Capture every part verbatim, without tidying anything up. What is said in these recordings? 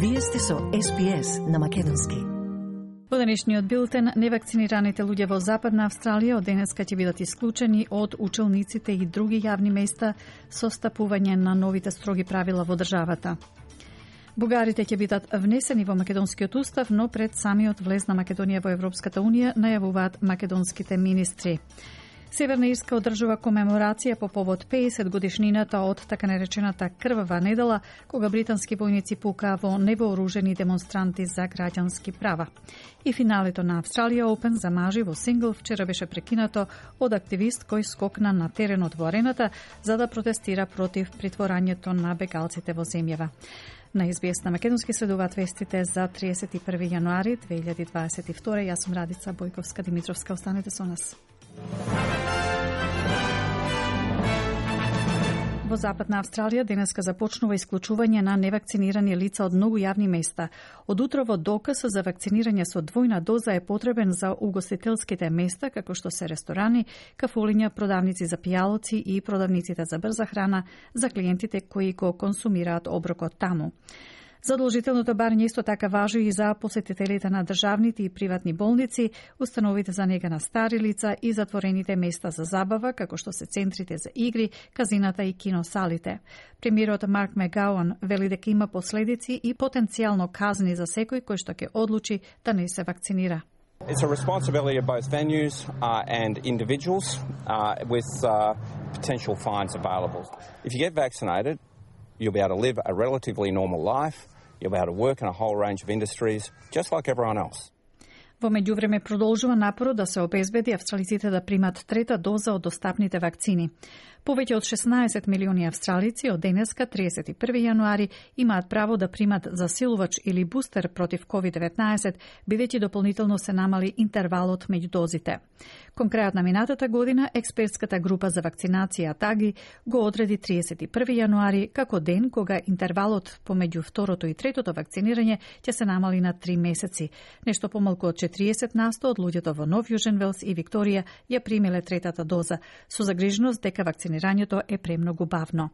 Вие сте со Ес Би Ес на македонски. Во денешниот билтен, невакцинираните луѓе во Западна Австралија од денеска ќе бидат исклучени од училниците и други јавни места со стапување на новите строги правила во државата. Бугарите ќе бидат внесени во македонскиот устав, но пред самиот влез на Македонија во Европската унија, најавуваат македонските министри. Северна Ирска одржува комеморација по повод педесет годишнината од така наречената крвава недела, кога британски војници пукаа во невооружени демонстранти за граѓански права. И финалето на Австралија Опен за мажи во сингл вчера беше прекинато од активист кој скокна на теренот во арената за да протестира против притворањето на бегалците во земјава. На Ес Би Ес на македонски следуваат вестите за триесет и први јануари две илјади дваесет и втора. Јас сум Радица Бојковска-Димитровска. Останете со нас. Во Западна Австралија денеска започнува исклучување на невакцинирани лица од многу јавни места. Од утрово доказ за вакцинирање со двојна доза е потребен за угостителските места, како што се ресторани, кафулиња, продавници за пијалоци и продавниците за брза храна за клиентите кои го консумираат оброкот таму. Задолжителното барање исто така важи и за посетителите на државните и приватни болници, установите за нега на стари лица и затворените места за забава, како што се центрите за игри, казината и киносалите. Премиерот Марк Мегауан вели дека има последици и потенцијално казни за секој кој што ќе одлучи да не се вакцинира. It's a responsibility of both venues uh, and individuals uh, with uh, potential fines available. If you get vaccinated, you'll be able to live a relatively normal life. You'll be able to work in a whole range of industries, just like everyone else. Во меѓувреме продолжува напорот да се обезбеди австралиците да примат трета доза од достапните вакцини. Повеќе од шеснаесет милиони австралици од денеска, триесет и први јануари, имаат право да примат засилувач или бустер против ковид деветнаесет, бидејќи дополнително се намали интервалот меѓу дозите. Кон крајот на минатата година, експертската група за вакцинација ТАГИ го одреди триесет и први јануари како ден кога интервалот помеѓу второто и третото вакцинирање ќе се намали на три месеци. Нешто помалку од четириесет на сто од луѓето во Нов Јужен Велс и Викторија ја примиле третата доза, со загриженост дека вакцинирањето е премногу бавно.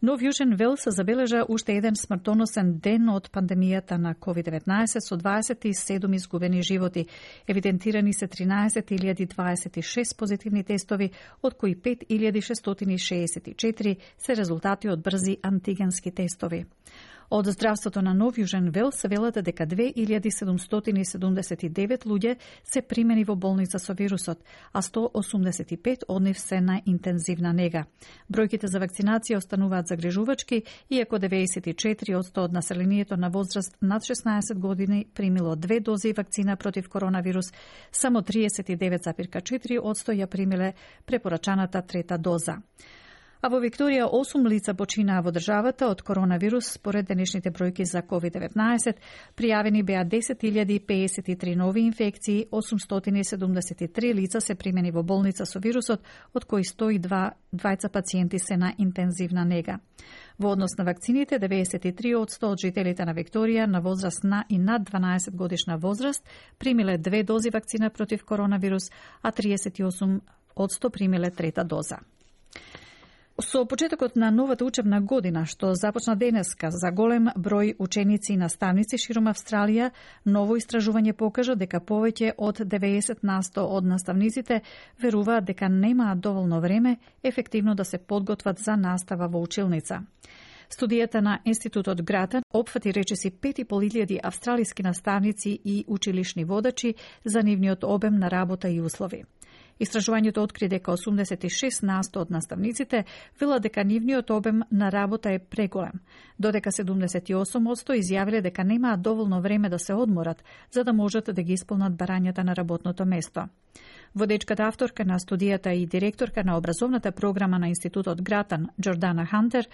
Нов Јужен Велс забележа уште еден смртоносен ден од пандемијата на ковид деветнаесет со дваесет и седум изгубени животи. Евидентирани се тринаесет илјади дваесет и шест позитивни тестови, од кои пет илјади шестстотини шеесет и четири се резултати од брзи антигенски тестови. Од здравството на Нов Јужен Велс велат дека две илјади седумстотини седумдесет и девет луѓе се примени во болница со вирусот, а сто осумдесет и пет од нив се на интензивна нега. Бројките за вакцинација остануваат загрижувачки, иако деветдесет и четири од сто од населението на возраст над шеснаесет години примило две дози вакцина против коронавирус, само триесет и девет зарез четири од сто ја примиле препорачаната трета доза. А во Викторија осум лица починаа во државата од коронавирус. Според денешните бројки за ковид деветнаесет, пријавени беа десет илјади педесет и три нови инфекции, осумстотини седумдесет и три лица се примени во болница со вирусот, од кои сто и два двајца пациенти се на интензивна нега. Во однос на вакцините, деветдесет и три од сто од жителите на Викторија на возраст на и над дванаесет годишна возраст примиле две дози вакцина против коронавирус, а триесет и осум од сто примиле трета доза. Со почетокот на новата учебна година, што започна денеска за голем број ученици и наставници широм Австралија, ново истражување покажа дека повеќе од деветдесет на сто од наставниците веруваат дека немаат доволно време ефективно да се подготват за настава во училница. Студијата на Институтот Гратан опфати речиси пет и пол илјади австралиски наставници и училишни водачи за нивниот обем на работа и услови. Истражувањето откри дека осумдесет и шест на сто од наставниците велат дека нивниот обем на работа е преголем, додека седумдесет и осум од сто изјавиле дека немаат доволно време да се одморат за да можат да ги исполнат барањата на работното место. Водечката авторка на студијата и директорка на образовната програма на Институтот Гратан, Джордана Хантер,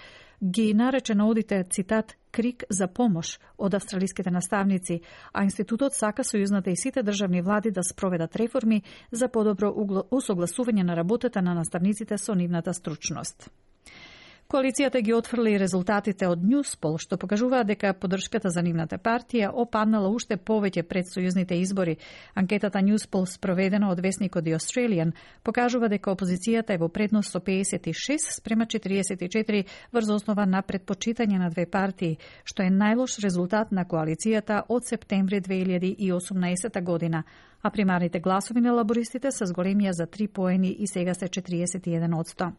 ги нарече наодите, цитат, крик за помош од австралиските наставници, а Институтот сака сојузната и сите државни влади да спроведат реформи за подобро усогласување на работата на наставниците со нивната стручност. Коалицијата ги отфрли резултатите од Newspoll, што покажуваат дека поддршката за нивната партија опаднала уште повеќе пред сојузните избори. Анкетата Newspoll, спроведена од весникот The Australian, покажува дека опозицијата е во предност со педесет и шест спрема четириесет и четири врз основа на предпочитање на две партии, што е најлош резултат на коалицијата од септември две илјади и осумнаесета година, а примарните гласови на лабористите се зголемија за три поени и сега се четириесет и еден одсто.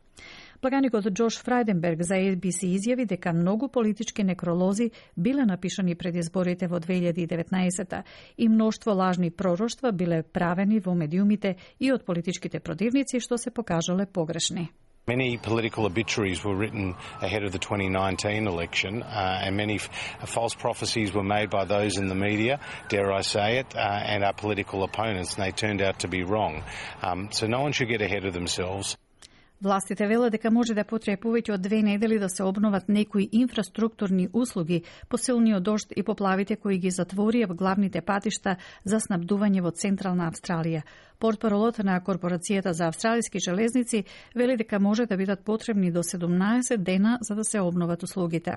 Благаникот Џош Фрајденберг за Ей Би Си изјави дека многу политички некролози биле напишани пред изборите во две илјади и деветнаесета и мноштво лажни пророштва биле правени во медиумите и од политичките противници, што се покажале погрешни. Many political obituaries were written ahead of the twenty nineteen election, uh, and many f- false prophecies were made by those in the media, dare I say it, uh, and our political opponents, and they turned out to be wrong. Um, so no one should get ahead of themselves. Властите велат дека може да потрае повеќе од две недели да се обноват некои инфраструктурни услуги по силниот дожд и поплавите кои ги затворија в главните патишта за снабдување во Централна Австралија. Портпаролот на Корпорацијата за австралиски железници вели дека може да бидат потребни до седумнаесет дена за да се обноват услугите.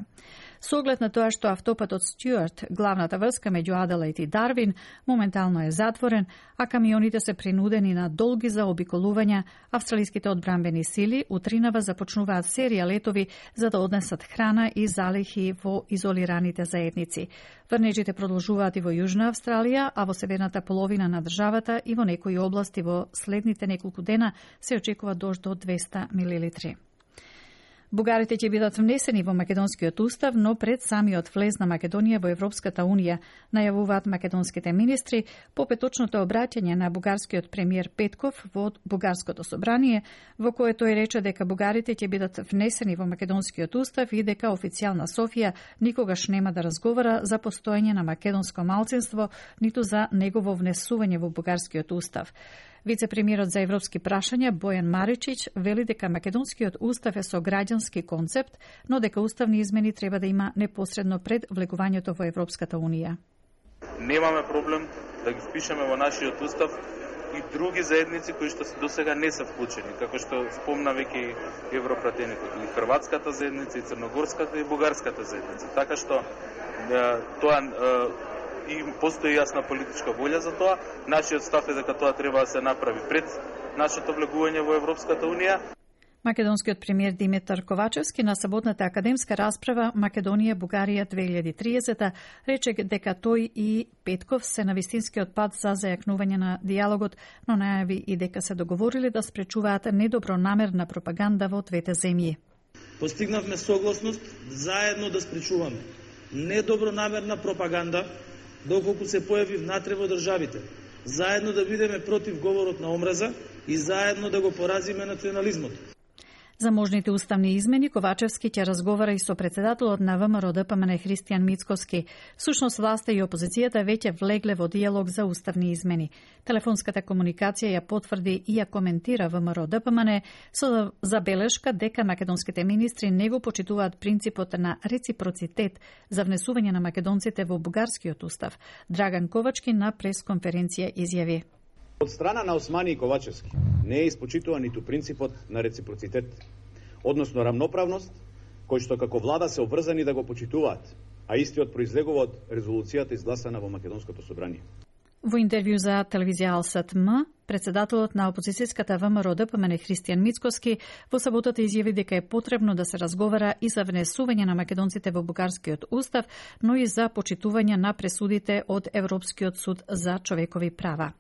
Со оглед на тоа што автопатот Стюарт, главната врска меѓу Аделаид и Дарвин, моментално е затворен, а камионите се принудени на долги заобиколувања, австралиските одбранбени сили утринава започнуваат серија летови за да однесат храна и залихи во изолираните заедници. Врнежите продолжуваат и во Јужна Австралија, а во северната половина на државата и во некои области во следните неколку дена се очекува дожд до двеста милилитри. Бугарите ќе бидат внесени во македонскиот устав, но пред самиот влез на Македонија во Европската унија, најавуваат македонските министри по петочното обраќање на бугарскиот премиер Петков во Бугарското собрание, во кое тој рече дека бугарите ќе бидат внесени во македонскиот устав и дека официјална Софија никогаш нема да разговара за постоење на македонско малцинство, ниту за негово внесување во бугарскиот устав. Вице-премиерот за европски прашања Бојан Маричич вели дека македонскиот устав е со граѓански концепт, но дека уставни измени треба да има непосредно пред влегувањето во Европската унија. Немаме проблем да ги впишеме во нашиот устав и други заедници кои што се досега не се вклучени, како што спомна веќе европратеникот, и хрватската заедница, и црногорската и бугарската заедница. Така што тоа и постои јасна политичка волја за тоа. Нашиот став е дека тоа треба да се направи пред нашето влегување во Европската унија. Македонскиот премиер Димитар Ковачевски на саботната академска расправа Македонија Бугарија две илјади и триесета рече дека тој и Петков се на вистинскиот пат за зајакнување на диалогот, но најави и дека се договорили да спречуваат недобронамерна пропаганда во двете земји. Постигнавме согласност заедно да спречуваме недобронамерна пропаганда доколку се појави внатре во државите, заедно да бидеме против говорот на омраза и заедно да го поразиме национализмот. За можните уставни измени Ковачевски ќе разговара и со председателот на ВМРО Д П М Н Христијан Мицкоски. Сушност власта и опозицијата веќе влегле во диалог за уставни измени. Телефонската комуникација ја потврди и ја коментира ВМРО Д П М Н со забелешка дека македонските министри не го почитуваат принципот на реципроцитет за внесување на македонците во бугарскиот устав. Драган Ковачки на пресконференција изјави: Од страна на Османи и Ковачевски не е испочитуван ниту принципот на реципроцитет, односно рамноправност, кој што како влада се обврзани да го почитуваат, а истиот произлегува од резолуцијата изгласана во Македонското собрание. Во интервју за телевизија Алсат М, председателот на опозицијската ВМРО Д П М Н Христијан Мицкоски во саботата изјави дека е потребно да се разговара и за внесување на македонците во бугарскиот устав, но и за почитување на пресудите од Европскиот суд за човекови права.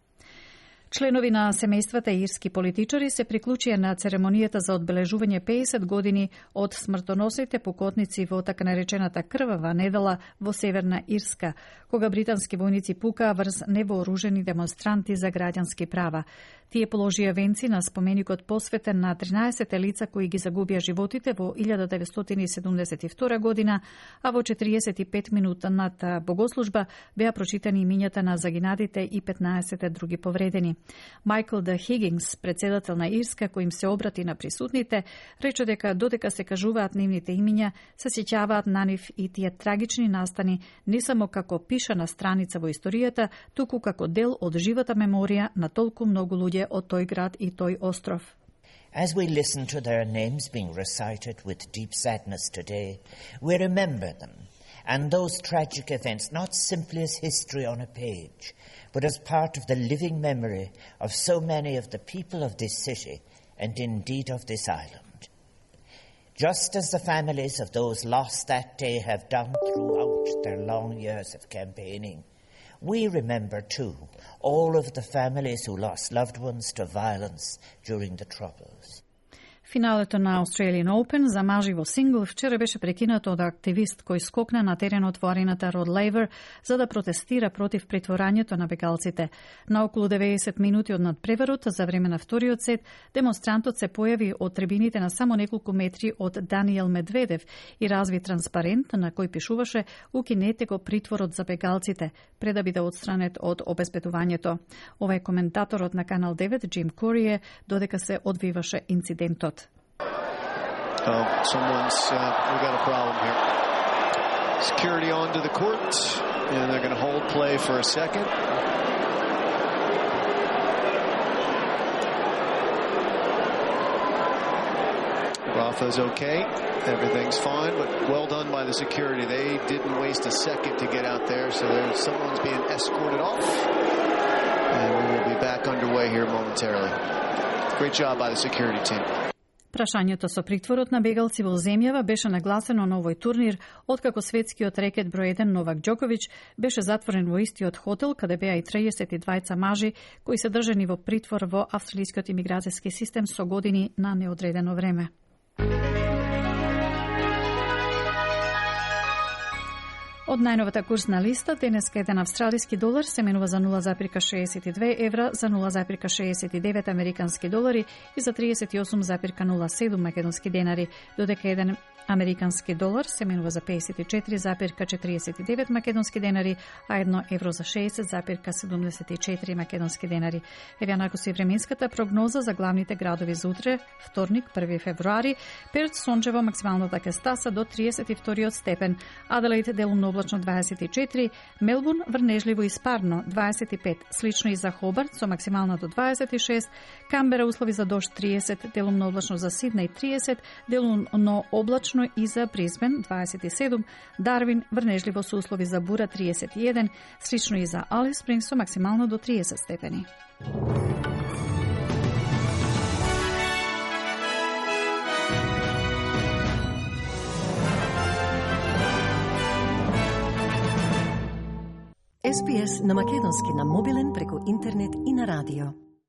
Членови на семејствата и ирски политичари се приклучија на церемонијата за одбележување педесет години од смртоносните покотници во така наречената крвава недела во Северна Ирска, кога британски војници пукаа врз невооружени демонстранти за граѓански права. Тие положија венци на споменикот посветен на тринаесет лица кои ги загубија животите во илјада деветстотини и седумдесет и втора година, а во четириесет и пет минутната богослужба беа прочитани имињата на загинатите и петнаесет други повредени. Майкл Д. Хигинс, председател на Ирска, кој им се обрати на присутните, рече дека додека се кажуваат нивните имиња, се сеќаваат на нив и тие трагични настани не само како пишана страница во историјата, туку како дел од живата меморија на толку многу луѓе од тој град и тој остров. As we listen to their names being recited with deep sadness today, we remember them and those tragic events not simply as history on a page, but as part of the living memory of so many of the people of this city and indeed of this island. Just as the families of those lost that day have done throughout their long years of campaigning, we remember too all of the families who lost loved ones to violence during the Troubles. Финалето на Australian Open за мажи во сингл вчера беше прекинато од активист кој скокна на теренот во арената Род Лейвер за да протестира против притворањето на бегалците. На околу деветдесет минути од надпреварот за време на вториот сет, демонстрантот се појави од трибините на само неколку метри од Даниел Медведев и разви транспарент на кој пишуваше "Укинете го притворот за бегалците" пред да биде отстранет од обезбедувањето. Ова е коментаторот на Канал девет Джим Корие додека се одвиваше инцидентот. Oh, someone's, uh, we got a problem here. Security onto the court, and they're going to hold play for a second. Rafa's okay. Everything's fine, but well done by the security. They didn't waste a second to get out there, so there's someone's being escorted off. And we will be back underway here momentarily. Great job by the security team. Прашањето со притворот на бегалци во земјава беше нагласено на овој турнир, откако светскиот рекет број еден Новак Џоковиќ беше затворен во истиот хотел, каде беа и триесет и двајца мажи кои се држани во притвор во австралискиот имиграцијски систем со години на неодредено време. Од најновата курсна листа, денеска еден австралиски долар се менува за нула зарез шеесет и две евра, за нула зарез шеесет и девет американски долари и за триесет и осум зарез нула седум македонски денари, додека еден американски долар се менува за пеесет и четири зарез четириесет и девет македонски денари, а едно евро за шеесет зарез седумдесет и четири македонски денари. Еве накоси временската прогноза за главните градови за утре, вторник, први февруари. Перт сончево, максималната ќе стаса до триесет и втори степен, Аделаид делумно облачно дваесет и четири, Мелбурн врнежливо и спарно дваесет и пет, слично и за Хобарт со максимална до дваесет и шест, Камбера услови за дожд триесет, делумно облачно за Сиднеј триесет, делумно облачно и за Брисбен дваесет и седум, Дарвин врнежливо со услови за бура триесет и еден, слично и за Алис Спрингс со максимално до триесет степени. Ес Би Ес на македонски на мобилен преку интернет и на радио.